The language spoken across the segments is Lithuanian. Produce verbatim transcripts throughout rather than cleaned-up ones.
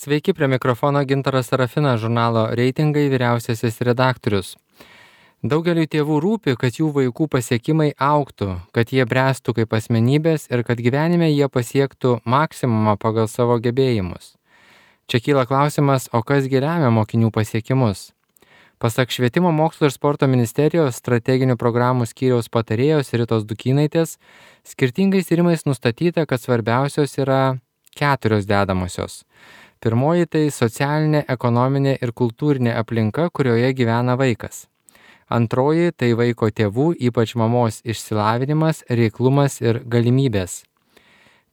Sveiki, prie mikrofono Gintaras Serafinas, žurnalo Reitingai vyriausiasis redaktorius. Daugeliui tėvų rūpi, kad jų vaikų pasiekimai augtų, kad jie bręstų kaip asmenybės ir kad gyvenime jie pasiektų maksimumą pagal savo gebėjimus. Čia kyla klausimas, o kas gi lemia mokinių pasiekimus? Pasak Švietimo mokslo ir sporto ministerijos strateginių programų skyriaus patarėjos Ritos Dukynaitės, skirtingais tyrimais nustatyta, kad svarbiausios yra keturios dedamosios. Pirmoji tai socialinė, ekonominė ir kultūrinė aplinka, kurioje gyvena vaikas. Antroji tai vaiko tėvų, ypač mamos išsilavinimas, reiklumas ir galimybės.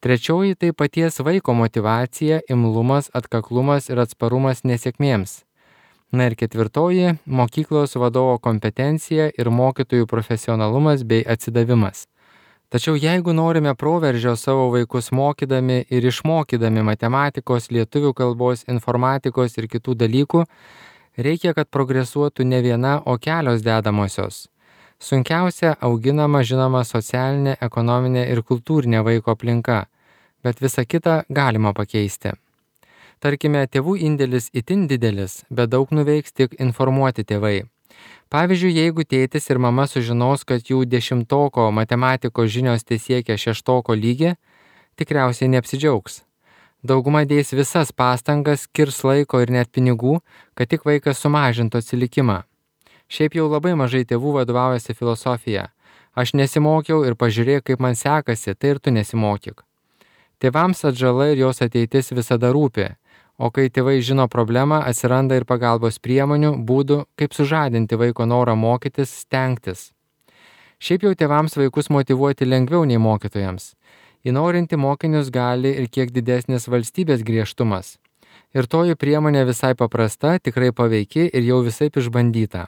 Trečioji tai paties vaiko motyvacija, imlumas, atkaklumas ir atsparumas nesėkmėms. Na ir ketvirtoji - mokyklos vadovo kompetencija ir mokytojų profesionalumas bei atsidavimas. Tačiau jeigu norime proveržio savo vaikus mokydami ir išmokydami matematikos, lietuvių kalbos, informatikos ir kitų dalykų, reikia, kad progresuotų ne viena, o kelios dedamosios. Sunkiausia auginama, žinoma, socialinė, ekonominė ir kultūrinė vaiko aplinka, bet visą kitą galima pakeisti. Tarkime, tėvų indėlis itin didelis, bet daug nuveiks tik informuoti tėvai. Pavyzdžiui, jeigu tėtis ir mama sužinos, kad jų dešimtoko matematikos žinios tesiekia šeštoko lygį, tikriausiai neapsidžiaugs. Dauguma dės visas pastangas, skirs laiko ir net pinigų, kad tik vaikas sumažintų atsilikimą. Šiaip jau labai mažai tėvų vadovaujasi filosofija. Aš nesimokiau ir pažiūrėk, kaip man sekasi, tai ir tu nesimokyk. Tėvams atžala ir jos ateitis visada rūpi. O kai tėvai žino problemą, atsiranda ir pagalbos priemonių, būdų, kaip sužadinti vaiko norą mokytis, stengtis. Šiaip jau tėvams vaikus motyvuoti lengviau nei mokytojams. Įnorinti mokinius gali ir kiek didesnis valstybės griežtumas. Ir toji priemonė visai paprasta, tikrai paveiki ir jau visaip išbandyta.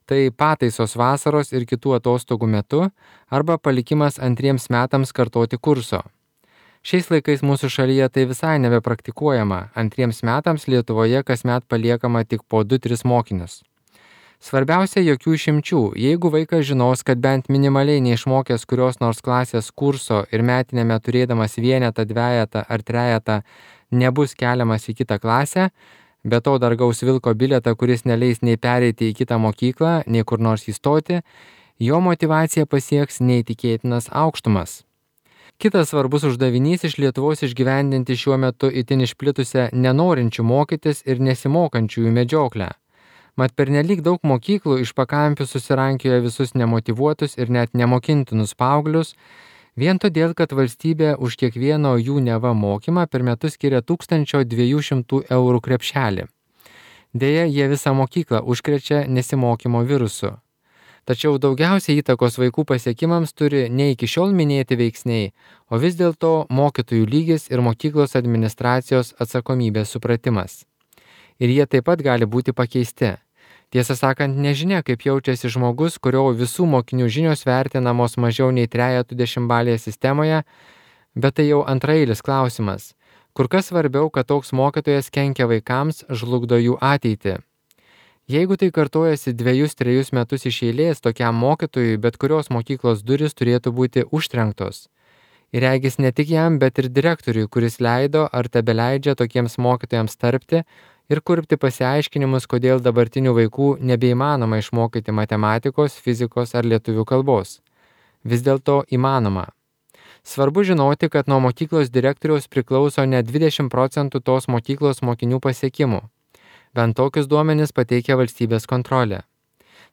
Tai pataisos vasaros ir kitų atostogų metu arba palikimas antriems metams kartoti kurso. Šiais laikais mūsų šalyje tai visai nebepraktikuojama, antriems metams Lietuvoje kasmet paliekama tik po du tris mokinius. Svarbiausia jokių išimčių, jeigu vaikas žinos, kad bent minimaliai neišmokęs kurios nors klasės kurso ir metinėme turėdamas vienetą, dvejetą ar trejetą nebus keliamas į kitą klasę, be to dar gaus vilko bilietą, kuris neleis nei pereiti į kitą mokyklą, nei kur nors įstoti, jo motyvacija pasieks neįtikėtinas aukštumas. Kitas svarbus uždavinys iš Lietuvos išgyvendinti šiuo metu itin išplitusią nenorinčių mokytis ir nesimokančiųjų medžioklę. Mat pernelyg daug mokyklų iš pakampių susirankioja visus nemotyvuotus ir net nemokintinus paauglius, vien todėl, kad valstybė už kiekvieno jų neva mokymą per metus skiria tūkstančio dviejų šimtų eurų krepšelį. Deja, jie visą mokyklą užkrečia nesimokymo virusu. Tačiau daugiausiai įtakos vaikų pasiekimams turi ne iki šiol minėti veiksniai, o vis dėlto mokytojų lygis ir mokyklos administracijos atsakomybės supratimas. Ir jie taip pat gali būti pakeisti. Tiesą sakant, nežinia, kaip jaučiasi žmogus, kurio visų mokinių žinios vertinamos mažiau nei trejetų dešimtbalėje sistemoje, bet tai jau antraeilis klausimas. Kur kas svarbiau, kad toks mokytojas kenkia vaikams, žlugdo jų ateitį. Jeigu tai kartojasi dviejus, trejus metus iš eilės, tokiam mokytojui bet kurios mokyklos durys turėtų būti užtrenktos. Ir regis ne tik jam, bet ir direktoriui, kuris leido ar tebeleidžia tokiems mokytojams tarpti ir kurpti pasiaiškinimus, kodėl dabartinių vaikų nebeįmanoma išmokyti matematikos, fizikos ar lietuvių kalbos. Vis dėlto įmanoma. Svarbu žinoti, kad nuo mokyklos direktoriaus priklauso net dvidešimt procentų tos mokyklos mokinių pasiekimų. Bent tokius duomenis pateikia valstybės kontrolė.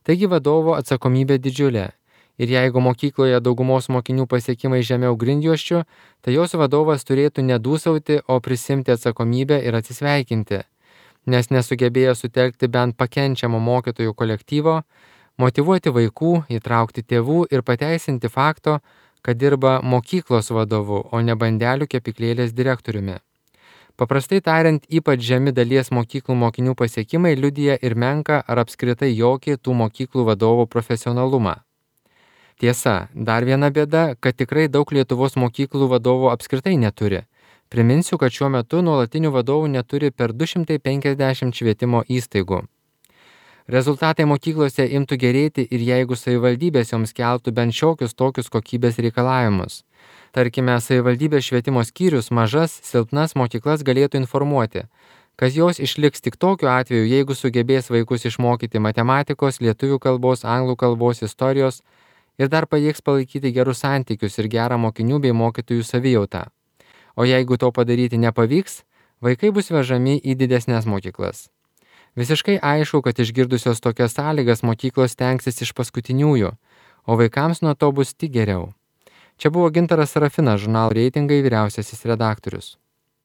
Taigi vadovo atsakomybė didžiulė. Ir jeigu mokykloje daugumos mokinių pasiekimai žemiau grindjuosčių, tai jos vadovas turėtų nedūsauti, o prisimti atsakomybę ir atsisveikinti. Nes nesugebėjo sutelkti bent pakenčiamo mokytojų kolektyvo, motyvuoti vaikų, įtraukti tėvų ir pateisinti fakto, kad dirba mokyklos vadovu, o ne bandelių kepyklėlės direktoriumi. Paprastai tariant, ypač žemi dalies mokyklų mokinių pasiekimai liudija ir menką ar apskritai jokį tų mokyklų vadovų profesionalumą. Tiesa, dar viena bėda, kad tikrai daug Lietuvos mokyklų vadovų apskritai neturi. Priminsiu, kad šiuo metu nuolatinių vadovų neturi per du šimtai penkiasdešimt švietimo įstaigų. Rezultatai mokyklose imtų gerėti ir jeigu savivaldybės joms keltų bent šiokius tokius kokybės reikalavimus. Tarkime, savivaldybės švietimo skyrius mažas, silpnas mokyklas galėtų informuoti, kad jos išliks tik tokiu atveju, jeigu sugebės vaikus išmokyti matematikos, lietuvių kalbos, anglų kalbos, istorijos ir dar pajėgs palaikyti gerus santykius ir gerą mokinių bei mokytojų savijautą. O jeigu to padaryti nepavyks, vaikai bus vežami į didesnes mokyklas. Visiškai aišku, kad išgirdusios tokias sąlygas mokyklos stengsis iš paskutiniųjų, o vaikams nuo to bus tik geriau. Čia buvo Gintaras Serafinas, žurnalo Reitingai vyriausiasis redaktorius.